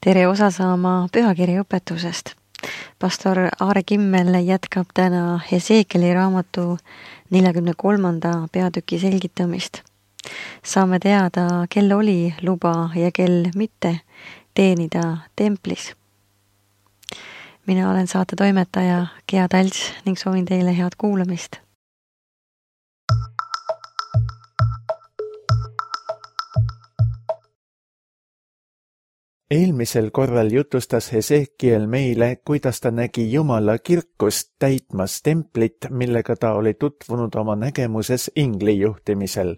Tere osa saama pühakirja õpetusest. Pastor Aare Kimmel jätkab täna Hesekieli raamatu 43. peatüki selgitamist. Saame teada, kel oli luba ja kel mitte teenida templis. Mina olen saate toimetaja Gea Talts ning soovin teile head kuulamist. Eelmisel korral jutustas Hesekiel meile, kuidas ta nägi Jumala kirkust täitmas templit, millega ta oli tutvunud oma nägemuses ingli juhtimisel.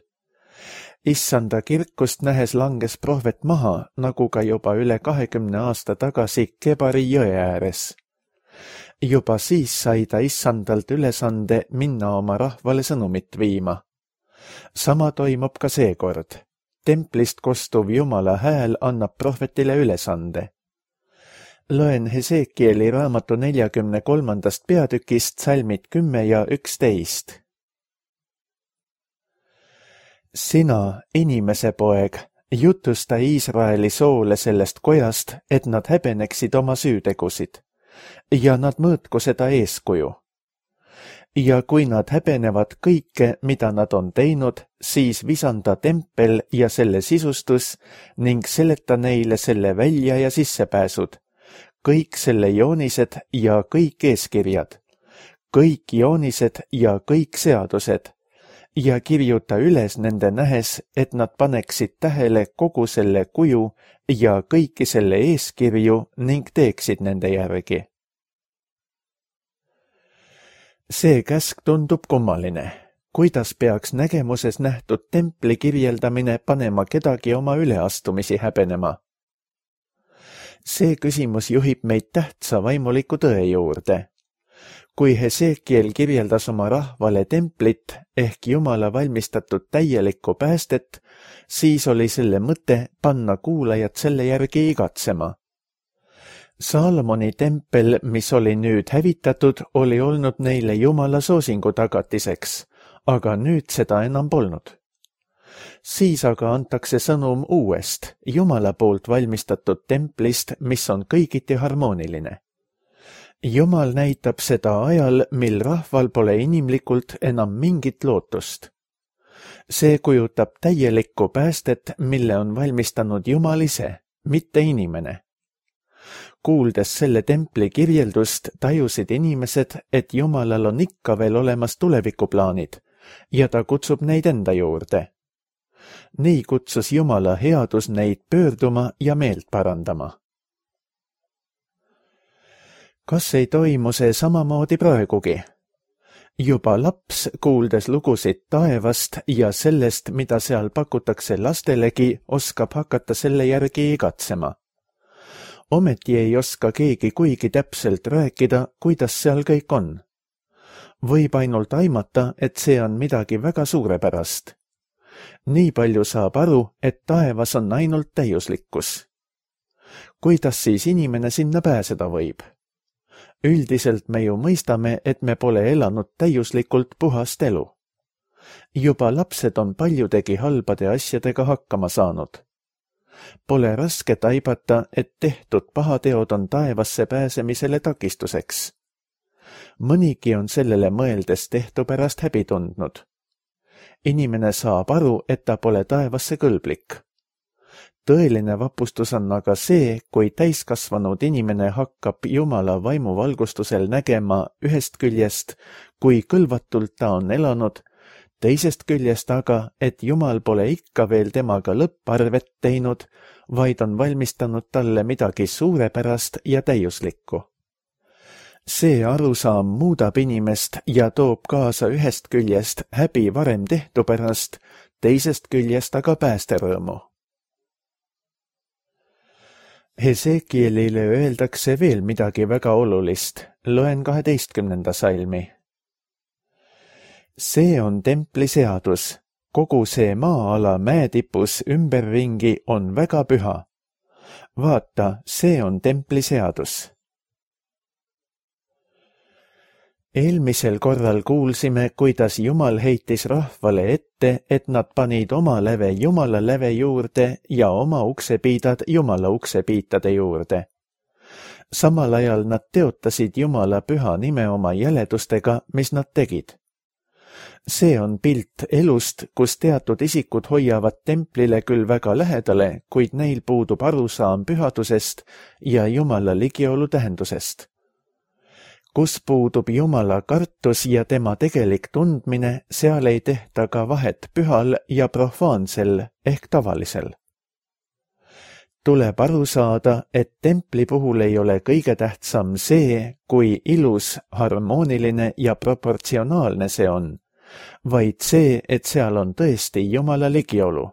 Issanda kirkust nähes langes prohvet maha, nagu ka juba üle 20 aasta tagasi Kebari jõe ääres. Juba siis sai ta Issandalt ülesande minna oma rahvale sõnumit viima. Sama toimub ka seekord. Templist kostuv Jumala hääl annab prohvetile ülesande. Loen Hesekieli raamatu 43. peatükist salmid 10 ja 11. Sina, inimese poeg, jutusta Iisraeli soole sellest kojast, et nad häbeneksid oma süütegusid, ja nad mõõtku seda eeskuju. Ja kui nad häbenevad kõike, mida nad on teinud, siis visanda tempel ja selle sisustus ning seleta neile selle välja- ja sissepääsud, kõik selle joonised ja kõik eeskirjad, kõik joonised ja kõik seadused, ja kirjuta üles nende nähes, et nad paneksid tähele kogu selle kuju ja kõiki selle eeskirju ning teeksid nende järgi. See käsk tundub kummaline. Kuidas peaks nägemuses nähtud templi kirjeldamine panema kedagi oma üleastumisi häbenema? See küsimus juhib meid tähtsa vaimuliku tõe juurde. Kui Hesekiel kirjeldas oma rahvale templit ehk Jumala valmistatud täielikku päästet, siis oli selle mõte panna kuulajad selle järgi igatsema. Saalomoni tempel, mis oli nüüd hävitatud, oli olnud neile Jumala soosingu tagatiseks, aga nüüd seda enam polnud. Siis aga antakse sõnum uuest, Jumala poolt valmistatud templist, mis on kõigiti harmooniline. Jumal näitab seda ajal, mil rahval pole inimlikult enam mingit lootust. See kujutab täielikku päästet, mille on valmistanud Jumal ise, mitte inimene. Kuuldes selle templi kirjeldust, tajusid inimesed, et Jumalal on ikka veel olemas tulevikuplaanid ja ta kutsub neid enda juurde. Nii kutsus Jumala headus neid pöörduma ja meelt parandama. Kas ei toimu see samamoodi praegugi? Juba laps, kuuldes lugusid taevast ja sellest, mida seal pakutakse lastelegi, oskab hakata selle järgi igatsema. Ometi ei oska keegi kuigi täpselt rääkida, kuidas seal kõik on. Võib ainult aimata, et see on midagi väga suurepärast. Nii palju saab aru, et taevas on ainult täiuslikkus. Kuidas siis inimene sinna pääseda võib? Üldiselt me ju mõistame, et me pole elanud täiuslikult puhast elu. Juba lapsed on paljudegi halbade asjadega hakkama saanud. Pole raske taibata, et tehtud pahateod on taevasse pääsemisele takistuseks. Mõnigi on sellele mõeldes tehtu pärast häbi tundnud. Inimene saab aru, et ta pole taevasse kõlblik. Tõeline vapustus on aga see, kui täiskasvanud inimene hakkab Jumala vaimuvalgustusel nägema ühest küljest, kui kõlvatult ta on elanud, teisest küljest aga, et Jumal pole ikka veel temaga lõpparvet teinud, vaid on valmistanud talle midagi suurepärast ja täiuslikku. See arusaam muudab inimest ja toob kaasa ühest küljest häbi varem tehtu pärast, teisest küljest aga päästerõõmu. Hesekielile öeldakse veel midagi väga olulist. Loen 12. salmi. See on templi seadus. Kogu see maa-ala mäetipus ümberringi on väga püha. Vaata, see on templi seadus. Eelmisel korral kuulsime, kuidas Jumal heitis rahvale ette, et nad panid oma läve Jumala läve juurde ja oma uksepiidad Jumala uksepiitade juurde. Samal ajal nad teotasid Jumala püha nime oma jäledustega, mis nad tegid. See on pilt elust, kus teatud isikud hoiavad templile küll väga lähedale, kuid neil puudub arusaam pühadusest ja Jumala ligiolu tähendusest. Kus puudub Jumala kartus ja tema tegelik tundmine, seal ei tehta ka vahet pühal ja profaansel ehk tavalisel. Tuleb aru saada, et templi puhul ei ole kõige tähtsam see, kui ilus, harmooniline ja proportsionaalne see on, vaid see, et seal on tõesti Jumala ligiolu.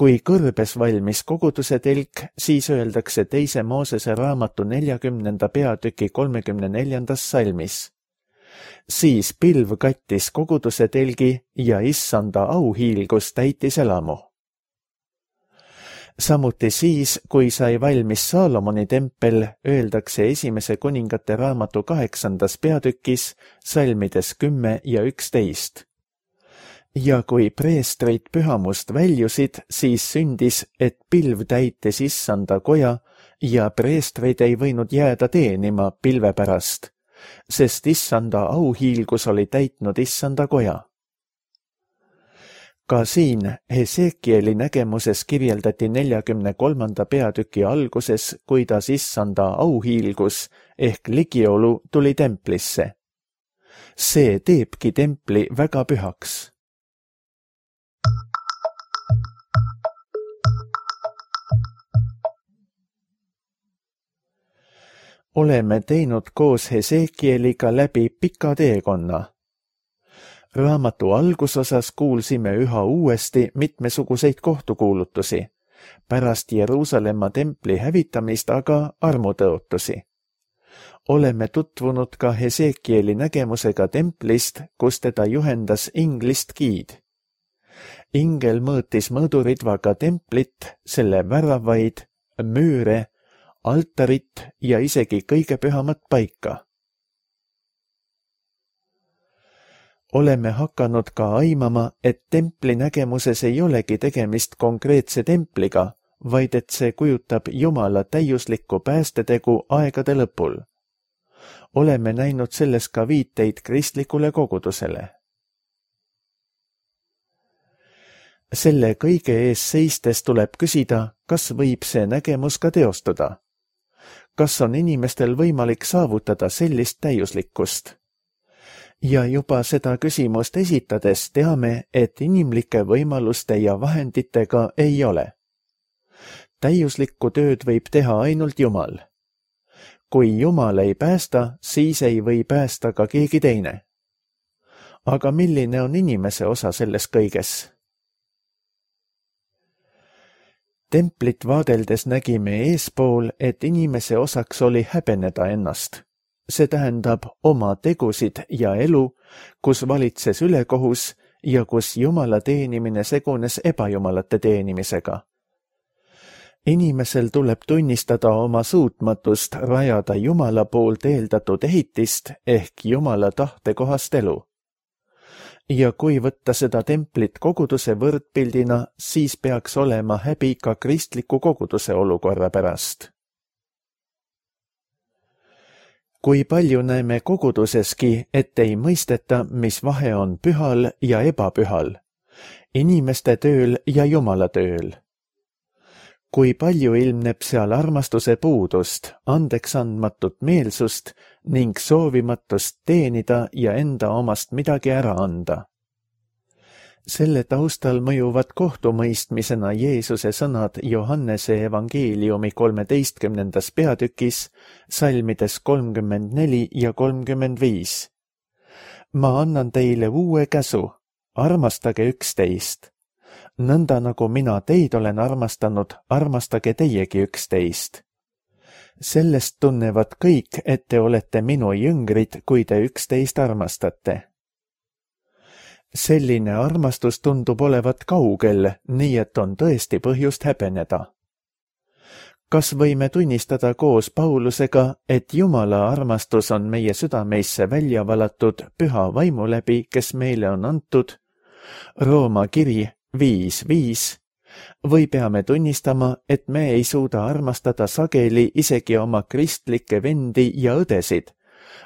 Kui kõrbes valmis koguduse telk, siis öeldakse 2. Moosese raamatu 40. peatüki 34. salmis. Siis pilv kattis koguduse telgi ja issanda auhiilgus täitis elamu. Samuti siis, kui sai valmis Saalomoni tempel, öeldakse 1. kuningate raamatu 8. peatükis salmides 10 ja 11. Ja kui preestrid pühamust väljusid, siis sündis, et pilv täitis issanda koja ja preestrid ei võinud jääda teenima pilve pärast, sest issanda auhiilgus oli täitnud issanda koja. Ka siin Hesekieli nägemuses kirjeldati 43. peatüki alguses, kuidas issanda auhiilgus ehk ligiolu tuli templisse. See teebki templi väga pühaks. Oleme teinud koos Hesekieliga läbi pika teekonna. Raamatu algusosas kuulsime üha uuesti mitmesuguseid kohtukuulutusi, pärast Jeruusalemma templi hävitamist aga armutõotusi. Oleme tutvunud ka Hesekieli nägemusega templist, kus teda juhendas inglist giid. Ingel mõõtis mõõduridvaga templit, selle väravaid, müüre, altarit ja isegi kõige pühamat paika. Oleme hakanud ka aimama, et templi nägemuses ei olegi tegemist konkreetse templiga, vaid et see kujutab Jumala täiuslikku päästetegu aegade lõpul. Oleme näinud selles ka viiteid kristlikule kogudusele. Selle kõige ees seistes tuleb küsida, kas võib see nägemus ka teostuda. Kas on inimestel võimalik saavutada sellist täiuslikkust? Ja juba seda küsimust esitades teame, et inimlike võimaluste ja vahenditega ei ole. Täiuslikku tööd võib teha ainult Jumal. Kui Jumal ei päästa, siis ei või päästa ka keegi teine. Aga milline on inimese osa selles kõiges? Templit vaadeldes nägime eespool, et inimese osaks oli häbeneda ennast. See tähendab oma tegusid ja elu, kus valitses ülekohus ja kus Jumala teenimine segunes ebajumalate teenimisega. Inimesel tuleb tunnistada oma suutmatust rajada Jumala poolt eeldatud ehitist ehk Jumala tahtekohast elu. Ja kui võtta seda templit koguduse võrdpildina, siis peaks olema häbi ka kristliku koguduse olukorra pärast. Kui palju näeme koguduseski, et ei mõisteta, mis vahe on pühal ja ebapühal, inimeste tööl ja Jumala tööl. Kui palju ilmneb seal armastuse puudust, andeksandmatut meelsust ning soovimatust teenida ja enda omast midagi ära anda. Selle taustal mõjuvad kohtumõistmisena Jeesuse sõnad Johannese evangeeliumi 13. peatükis, salmides 34 ja 35. Ma annan teile uue käsu, armastage üksteist. Nõnda nagu mina teid olen armastanud, armastage teiegi üksteist. Sellest tunnevad kõik, et te olete minu jüngrid, kui te üksteist armastate. Selline armastus tundub olevat kaugel, nii et on tõesti põhjust häbeneda. Kas võime tunnistada koos Paulusega, et Jumala armastus on meie südameisse välja valatud püha vaimu läbi, kes meile on antud? Rooma kiri 5:5. Või peame tunnistama, et me ei suuda armastada sageli isegi oma kristlikke vendi ja õdesid,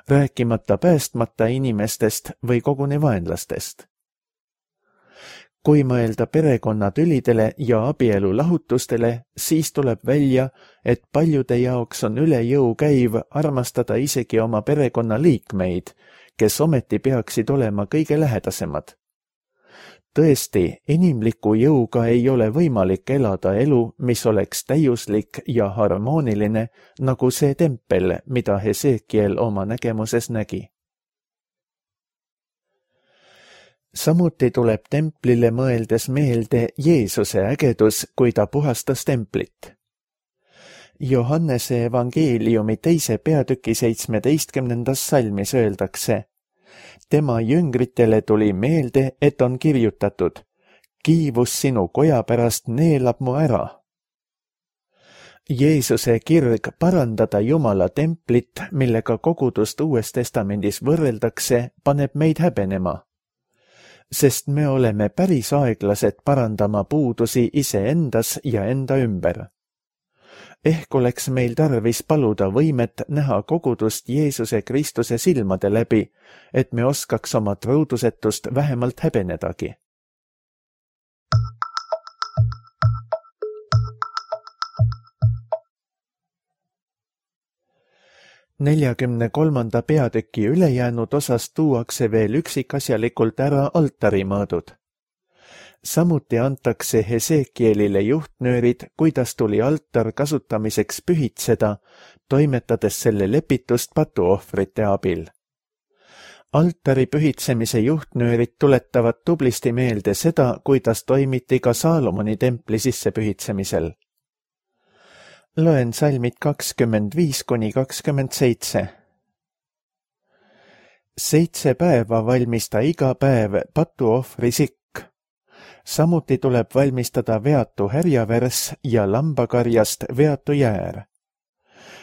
rääkimata päästmata inimestest või koguni vaenlastest? Kui mõelda perekonnatülidele ja abielu lahutustele, siis tuleb välja, et paljude jaoks on üle jõu käiv armastada isegi oma perekonna liikmeid, kes ometi peaksid olema kõige lähedasemad. Tõesti, inimliku jõuga ei ole võimalik elada elu, mis oleks täiuslik ja harmooniline, nagu see tempel, mida Hesekiel oma nägemuses nägi. Samuti tuleb templile mõeldes meelde Jeesuse ägedus, kui ta puhastas templit. Johannese evangeeliumi 2. peatüki 17. salmis öeldakse: tema jüngritele tuli meelde, et on kirjutatud: kiivus sinu koja pärast neelab mu ära. Jeesuse kirg parandada Jumala templit, millega kogudust Uues Testamendis võrreldakse, paneb meid häbenema. Sest me oleme päris aeglased parandama puudusi iseendas ja enda ümber. Ehk oleks meil tarvis paluda võimet näha kogudust Jeesuse Kristuse silmade läbi, et me oskaks oma truudusetust vähemalt häbenedagi. Neljakümne 3. peatüki ülejäänud osas tuuakse veel üksikasjalikult ära altarimõõdud. Samuti antakse Hesekielile juhtnöörid, kuidas tuli altar kasutamiseks pühitseda, toimetades selle lepitust patuohvrite abil. Altari pühitsemise juhtnöörid tuletavad tublisti meelde seda, kuidas toimiti ka Saalomoni templi sissepühitsemisel. Loen salmid 25–27. 7 päeva valmista iga päev patuohvri sikk. Samuti tuleb valmistada veatu härjavärs ja lambakarjast veatu jäär.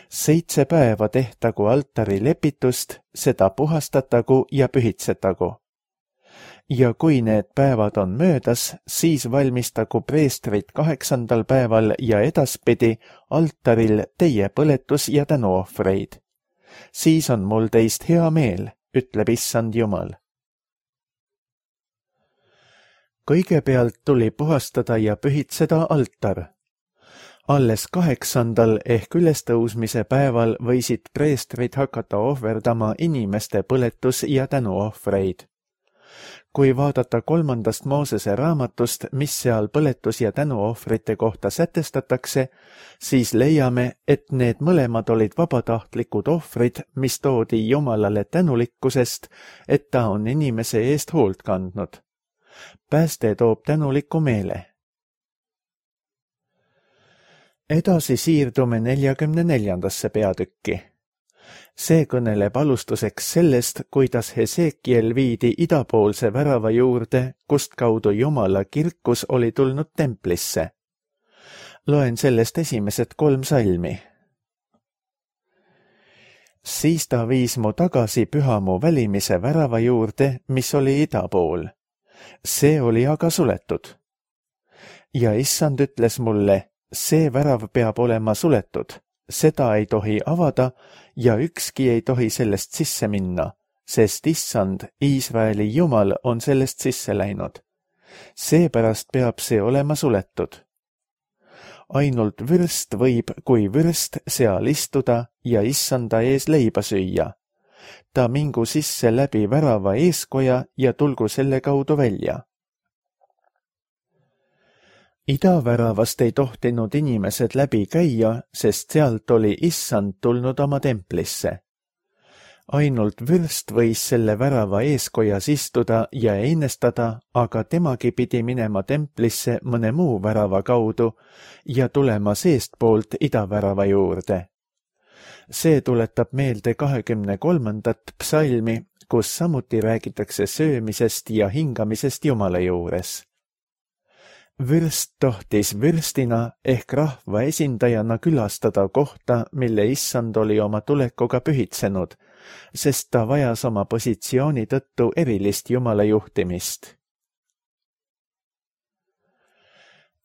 7 päeva tehtagu altari lepitust, seda puhastatagu ja pühitsetagu. Ja kui need päevad on möödas, siis valmistagu preestrid 8. päeval ja edaspidi altaril teie põletus- ja tänuohvreid. Siis on mul teist hea meel, ütleb Issand Jumal. Kõigepealt tuli puhastada ja pühitseda altar. Alles 8. ehk ülestõusmise päeval võisid preestrid hakata ohverdama inimeste põletus- ja tänuohvreid. Kui vaadata 3. Moosese raamatust, mis seal põletus- ja tänuohvrite kohta sätestatakse, siis leiame, et need mõlemad olid vabatahtlikud ohvrid, mis toodi Jumalale tänulikkusest, et ta on inimese eest hoolt kandnud. Pääste toob tänuliku meele. Edasi siirdume 44. peatükki. See kõneleb alustuseks sellest, kuidas Hesekiel viidi idapoolse värava juurde, kust kaudu Jumala kirkus oli tulnud templisse. Loen sellest esimesed 3 salmi. Siis ta viis mu tagasi pühamu välimise värava juurde, mis oli ida pool. See oli aga suletud. Ja Issand ütles mulle, see värav peab olema suletud. Seda ei tohi avada ja ükski ei tohi sellest sisse minna, sest Issand, Iisraeli Jumal, on sellest sisse läinud. Seepärast peab see olema suletud. Ainult vürst võib kui vürst seal istuda ja Issanda ees leiba süüa. Ta mingu sisse läbi värava eeskoja ja tulgu selle kaudu välja. Idaväravast ei tohtinud inimesed läbi käia, sest sealt oli Issand tulnud oma templisse. Ainult vürst võis selle värava eeskojas istuda ja einestada, aga temagi pidi minema templisse mõne muu värava kaudu ja tulema seestpoolt idavärava juurde. See tuletab meelde 23. psalmi, kus samuti räägitakse söömisest ja hingamisest Jumala juures. Vürst tohtis vürstina ehk rahva esindajana külastada kohta, mille issand oli oma tulekuga pühitsenud, sest ta vajas oma positsiooni tõttu erilist Jumala juhtimist.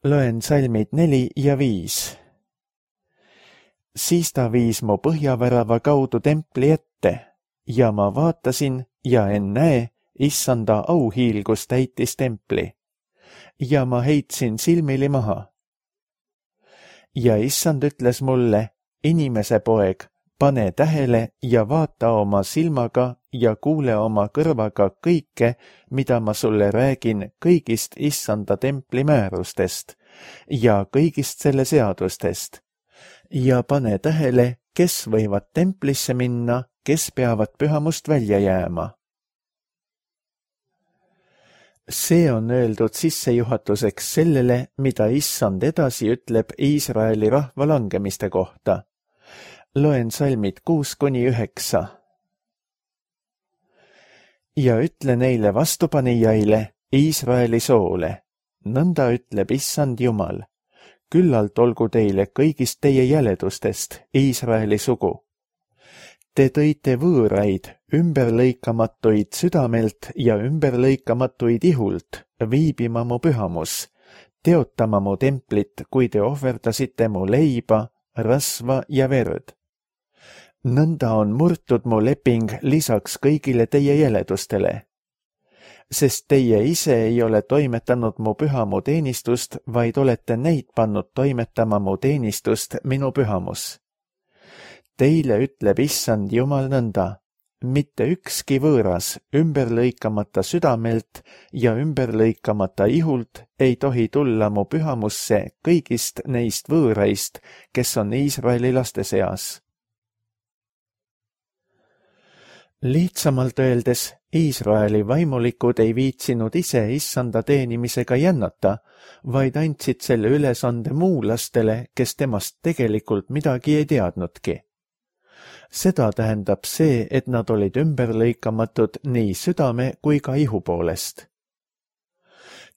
Loen salmid 4 ja 5. Siis ta viis mu põhjavärava kaudu templi ette ja ma vaatasin ja ennäe, issanda auhiilgus täitis templi. Ja ma heitsin silmili maha. Ja issand ütles mulle, inimese poeg, pane tähele ja vaata oma silmaga ja kuule oma kõrvaga kõike, mida ma sulle räägin kõigist issanda templi määrustest ja kõigist selle seadustest. Ja pane tähele, kes võivad templisse minna, kes peavad pühamust välja jääma. See on öeldud sissejuhatuseks sellele, mida issand edasi ütleb Iisraeli rahva langemiste kohta. Loen salmid 6-9. Ja ütle neile vastupanijaile, Iisraeli soole. Nõnda ütleb issand Jumal. Küllalt olgu teile kõigist teie jäledustest, Iisraeli sugu. Te tõite võõraid, ümberlõikamatuid südamelt ja ümberlõikamatuid ihult, viibima mu pühamus, teotama mu templit, kui te ohverdasite mu leiba, rasva ja verd. Nõnda on murtud mu leping lisaks kõigile teie jäledustele. Sest teie ise ei ole toimetanud mu pühamu teenistust, vaid olete neid pannud toimetama mu teenistust minu pühamus. Teile ütleb issand Jumal nõnda, mitte ükski võõras ümberlõikamata südamelt ja ümberlõikamata ihult ei tohi tulla mu pühamusse kõigist neist võõraist, kes on Iisraeli laste seas. Lihtsamalt öeldes, Iisraeli vaimulikud ei viitsinud ise issanda teenimisega jännata, vaid andsid selle ülesande muulastele, kes temast tegelikult midagi ei teadnudki. Seda tähendab see, et nad olid ümberlõikamatud nii südame kui ka ihu poolest.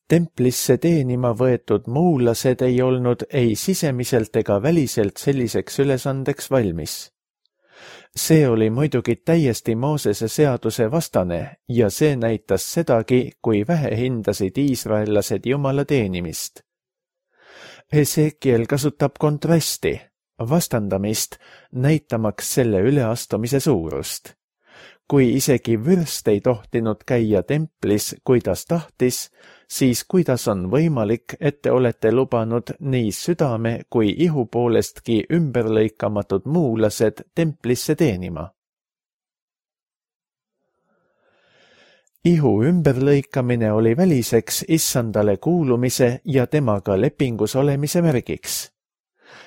Templisse teenima võetud muulased ei olnud ei sisemiselt ega väliselt selliseks ülesandeks valmis. See oli muidugi täiesti Moosese seaduse vastane ja see näitas sedagi, kui vähe hindasid iisraellased Jumala teenimist. Hesekiel kasutab kontrasti, vastandamist, näitamaks selle üleastumise suurust. Kui isegi vürst ei tohtinud käia templis, kuidas tahtis, siis kuidas on võimalik, et te olete lubanud nii südame kui ihu poolestki ümberlõikamatud muulased templisse teenima? Ihu ümberlõikamine oli väliseks issandale kuulumise ja temaga lepingus olemise märgiks.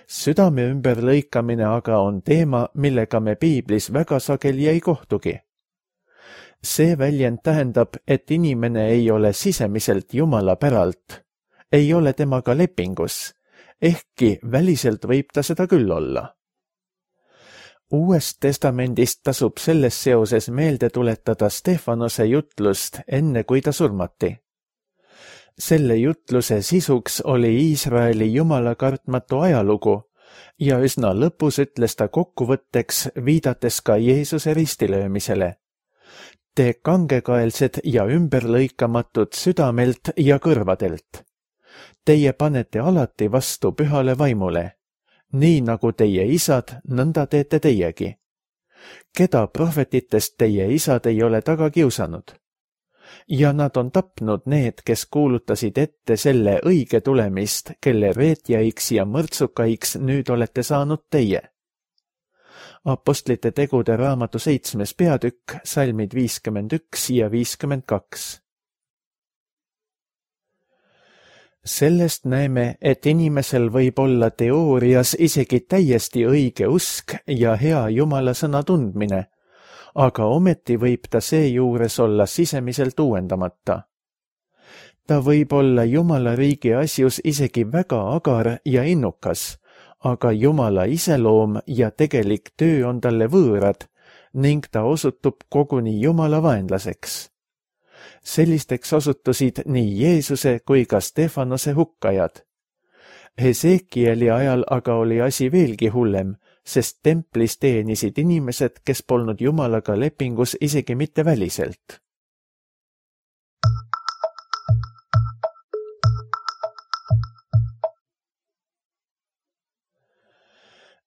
Südame ümberlõikamine aga on teema, millega me piiblis väga sageli ei kohtugi. See väljend tähendab, et inimene ei ole sisemiselt Jumala päralt, ei ole temaga lepingus, ehkki väliselt võib ta seda küll olla. Uuest testamendist tasub selles seoses meelde tuletada Stefanose jutlust enne, kui ta surmati. Selle jutluse sisuks oli Iisraeli Jumala kartmatu ajalugu ja üsna lõpus ütles ta kokkuvõtteks, viidates ka Jeesuse ristilöömisele. Te kangekaelsed ja ümberlõikamatud südamelt ja kõrvadelt. Teie panete alati vastu pühale vaimule. Nii nagu teie isad, nõnda teete teiegi. Keda prohvetitest teie isad ei ole taga kiusanud? Ja nad on tapnud need, kes kuulutasid ette selle õige tulemist, kelle reetjaiks ja mõrtsukaiks nüüd olete saanud teie. Apostlite tegude raamatu 7. peatükk, salmid 51 ja 52. Sellest näeme, et inimesel võib olla teoorias isegi täiesti õige usk ja hea Jumala sõna tundmine, aga ometi võib ta seejuures olla sisemiselt uuendamata. Ta võib olla Jumala riigi asjus isegi väga agar ja innukas, aga Jumala iseloom ja tegelik töö on talle võõrad ning ta osutub koguni Jumala vaenlaseks. Sellisteks osutusid nii Jeesuse kui ka Stefanose hukkajad. Hesekieli ajal aga oli asi veelgi hullem, sest templis teenisid inimesed, kes polnud Jumalaga lepingus isegi mitte väliselt.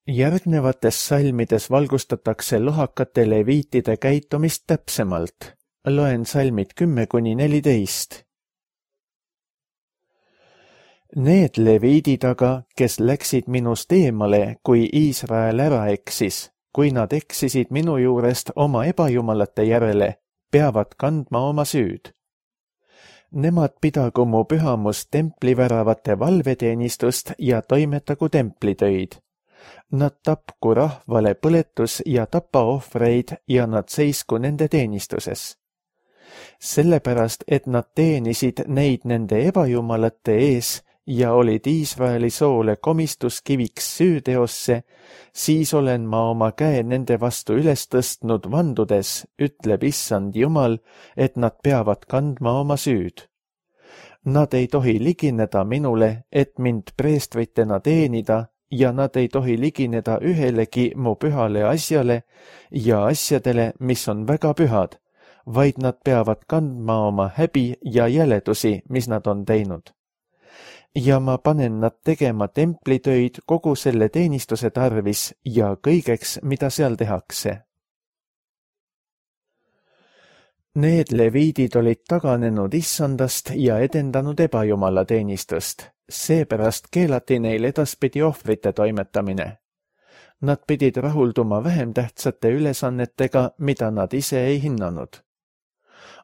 Järgnevates salmides valgustatakse lohakate leviitide käitumist täpsemalt. Loen salmid 10–14. Need leviidid aga, kes läksid minust eemale, kui Iisrael ära eksis, kui nad eksisid minu juurest oma ebajumalate järele, peavad kandma oma süüd. Nemad pidagu mu pühamus templiväravate valveteenistust ja toimetagu templitöid. Nad tapku rahvale põletus- ja tapaohvreid ja nad seisku nende teenistuses. Sellepärast, et nad teenisid neid nende ebajumalate ees ja olid Iisraeli soole komistuskiviks süüteosse, siis olen ma oma käe nende vastu üles tõstnud vandudes, ütleb Issand Jumal, et nad peavad kandma oma süüd. Nad ei tohi ligineda minule, et mind preestritena teenida, ja nad ei tohi ligineda ühelegi mu pühale asjale ja asjadele, mis on väga pühad, vaid nad peavad kandma oma häbi ja jäledusi, mis nad on teinud. Ja ma panen nad tegema templitöid kogu selle teenistuse tarvis ja kõigeks, mida seal tehakse. Need leviidid olid taganenud Issandast ja edendanud ebajumala teenistust. Seepärast keelati neil edaspidi ohvrite toimetamine. Nad pidid rahulduma vähem tähtsate ülesannetega, mida nad ise ei hinnanud.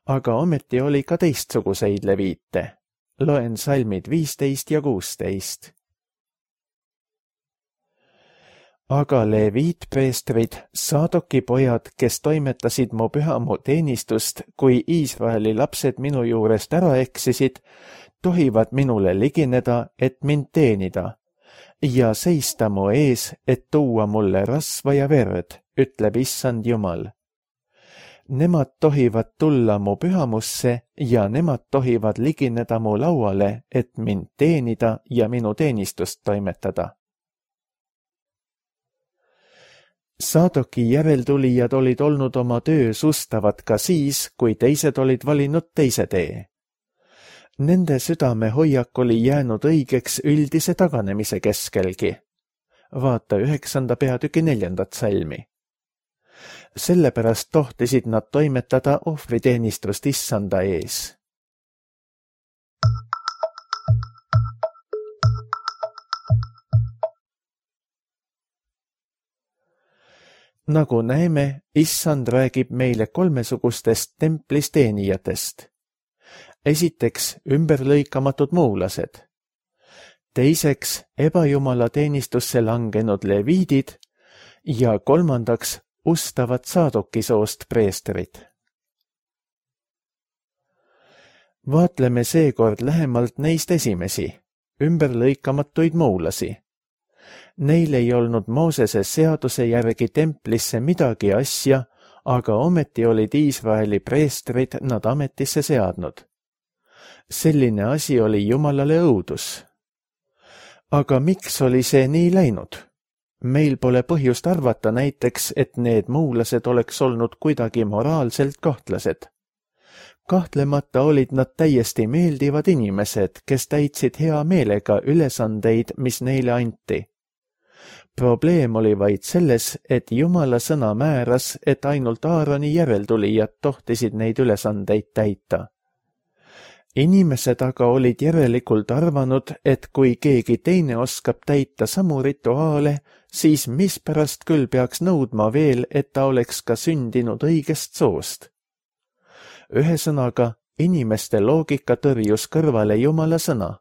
Aga ometi oli ka teistsuguseid leviite. Loen salmid 15 ja 16. Aga leviitpreestrid, Saadoki pojad, kes toimetasid mu pühamu teenistust, kui Iisraeli lapsed minu juurest ära eksisid, tohivad minule ligineda, et mind teenida, ja seista mu ees, et tuua mulle rasva ja verd, ütleb Issand Jumal. Nemad tohivad tulla mu pühamusse ja nemad tohivad ligineda mu lauale, et mind teenida ja minu teenistust toimetada. Saadoki järeltulijad olid olnud oma töös ustavad ka siis, kui teised olid valinud teise tee. Nende südamehoiak oli jäänud õigeks üldise taganemise keskelgi. Vaata 9. peatüki 4. salmi. Sellepärast tohtisid nad toimetada ohvriteenistust Issanda ees. Nagu näeme, Issand räägib meile kolmesugustest templis teenijatest. Esiteks ümberlõikamatud muulased. Teiseks ebajumala teenistusse langenud leviidid ja kolmandaks ustavad Saadoki soost preestrid. Vaatleme seekord lähemalt neist esimesi, ümberlõikamatuid muulasi. Neil ei olnud Moosese seaduse järgi templisse midagi asja, aga ometi olid Iisraeli preestrid nad ametisse seadnud. Selline asi oli Jumalale õudus. Aga miks oli see nii läinud? Meil pole põhjust arvata näiteks, et need muulased oleks olnud kuidagi moraalselt kahtlased. Kahtlemata olid nad täiesti meeldivad inimesed, kes täitsid hea meelega ülesandeid, mis neile anti. Probleem oli vaid selles, et Jumala sõna määras, et ainult Aaroni järeltulijad tohtisid neid ülesandeid täita. Inimesed aga olid järelikult arvanud, et kui keegi teine oskab täita samu rituaale, siis mispärast küll peaks nõudma veel, et ta oleks ka sündinud õigest soost. Ühesõnaga, inimeste loogika tõrjus kõrvale Jumala sõna.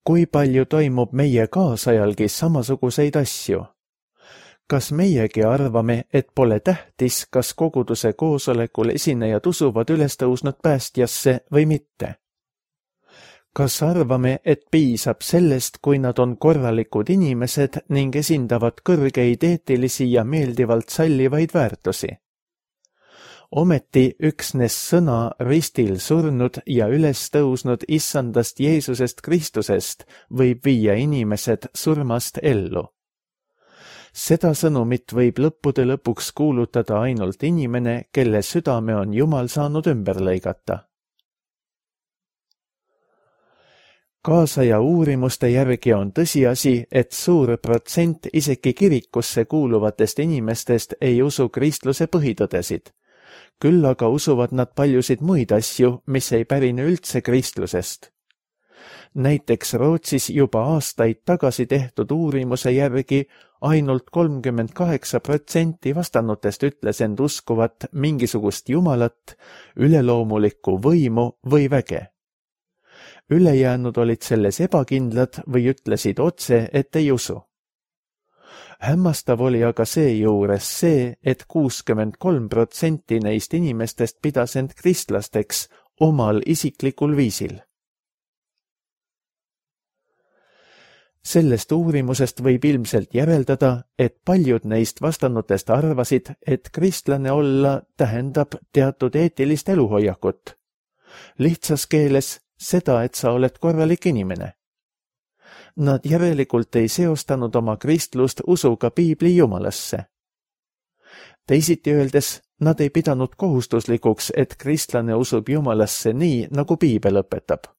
Kui palju toimub meie kaasajalgi samasuguseid asju? Kas meiegi arvame, et pole tähtis, kas koguduse koosolekul esinejad usuvad ülestõusnud päästjasse või mitte? Kas arvame, et piisab sellest, kui nad on korralikud inimesed ning esindavad kõrgeid eetilisi ja meeldivalt sallivaid väärtusi? Ometi üksnes sõna ristil surnud ja üles tõusnud issandast Jeesusest Kristusest võib viia inimesed surmast ellu. Seda sõnumit võib lõppude lõpuks kuulutada ainult inimene, kelle südame on Jumal saanud ümber lõigata. Kaasaja uurimuste järgi on tõsiasi, et suur protsent isegi kirikusse kuuluvatest inimestest ei usu kristluse põhitõdesid. Küll aga usuvad nad paljusid muid asju, mis ei pärine üldse kristlusest. Näiteks Rootsis juba aastaid tagasi tehtud uurimuse järgi ainult 38% vastanutest ütles end uskuvat mingisugust jumalat, üleloomulikku võimu või väge. Ülejäänud olid selles ebakindlad või ütlesid otse, et ei usu. Hämmastav oli aga seejuures see, et 63% neist inimestest pidas end kristlasteks omal isiklikul viisil. Sellest uurimusest võib ilmselt järeldada, et paljud neist vastanutest arvasid, et kristlane olla tähendab teatud eetilist eluhoiakut. Lihtsas keeles seda, et sa oled korralik inimene. Nad järelikult ei seostanud oma kristlust usuga piibli jumalasse. Teisiti öeldes, nad ei pidanud kohustuslikuks, et kristlane usub jumalasse nii, nagu piibel õpetab.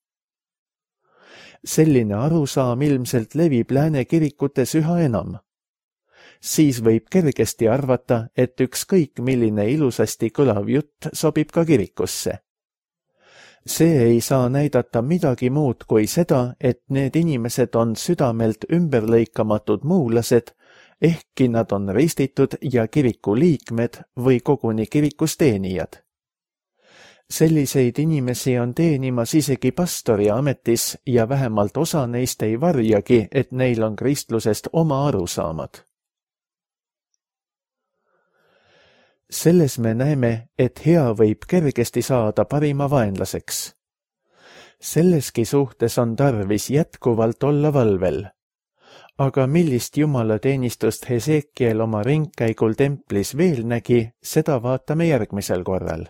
Selline arusaam ilmselt levib lääne kirikutes üha enam. Siis võib kergesti arvata, et ükskõik milline ilusasti kõlav jutt sobib ka kirikusse. See ei saa näidata midagi muud kui seda, et need inimesed on südamelt ümberlõikamatud muulased, ehkki nad on ristitud ja kiriku liikmed või koguni kirikus teenijad. Selliseid inimesi on teenimas isegi pastori ametis ja vähemalt osa neist ei varjagi, et neil on kristlusest oma arusaamad. Selles me näeme, et hea võib kergesti saada parima vaenlaseks. Selleski suhtes on tarvis jätkuvalt olla valvel. Aga millist jumalateenistust Hesekiel oma ringkäigul templis veel nägi, seda vaatame järgmisel korral.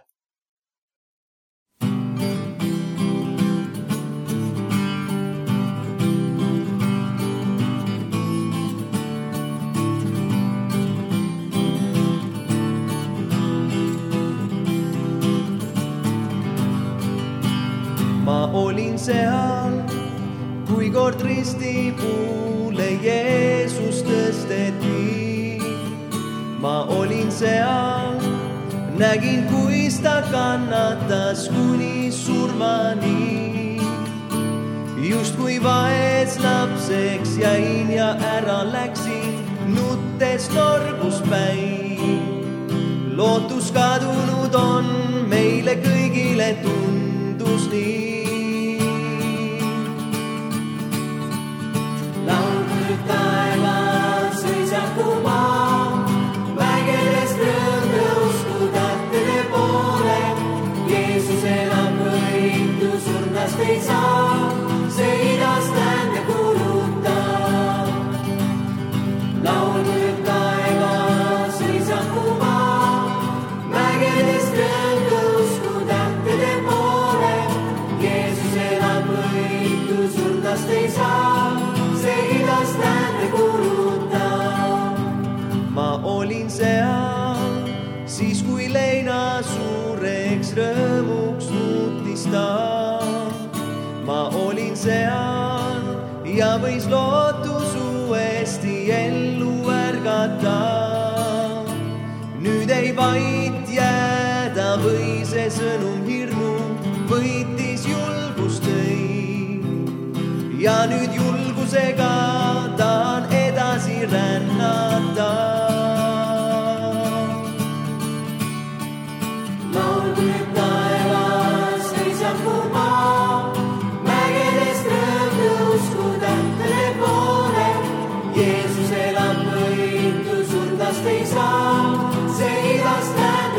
Ma olin seal, kui kord risti puule Jeesus tõsteti. Ma olin seal, nägin, kuis ta kannatas kuni surmani. Just kui vaes lapseks jäin ja ära läksin, nuttes norbus päin. Lootus kadunud on, meile kõigile tundus nii. Taevas sõisaku maa, vägedest rõõm tõusku tähtede poole. Jeesus elab võitu, surnast ei saa, see idast läände kuulutab. Laulnud taevas sõisaku maa, vägedest rõõm tõusku tähtede poole. Jeesus elab võitu, surnast ei saa, see idast läände kuulutab. Ma olin seal, siis kui leina suureks rõõmuks muutis ta. Ma olin seal ja võis lootus uuesti ellu ärgata. Nüüd ei vait jääda või see sõnum hirmu võitis julgust tõi. Ja nüüd julgusega tahan edasi rännata. Laulnud taevas sõisaku maa, mägedest rõõm tõusku tähtede poole. Jeesus elab võitu, surnast ei saa, see idast läände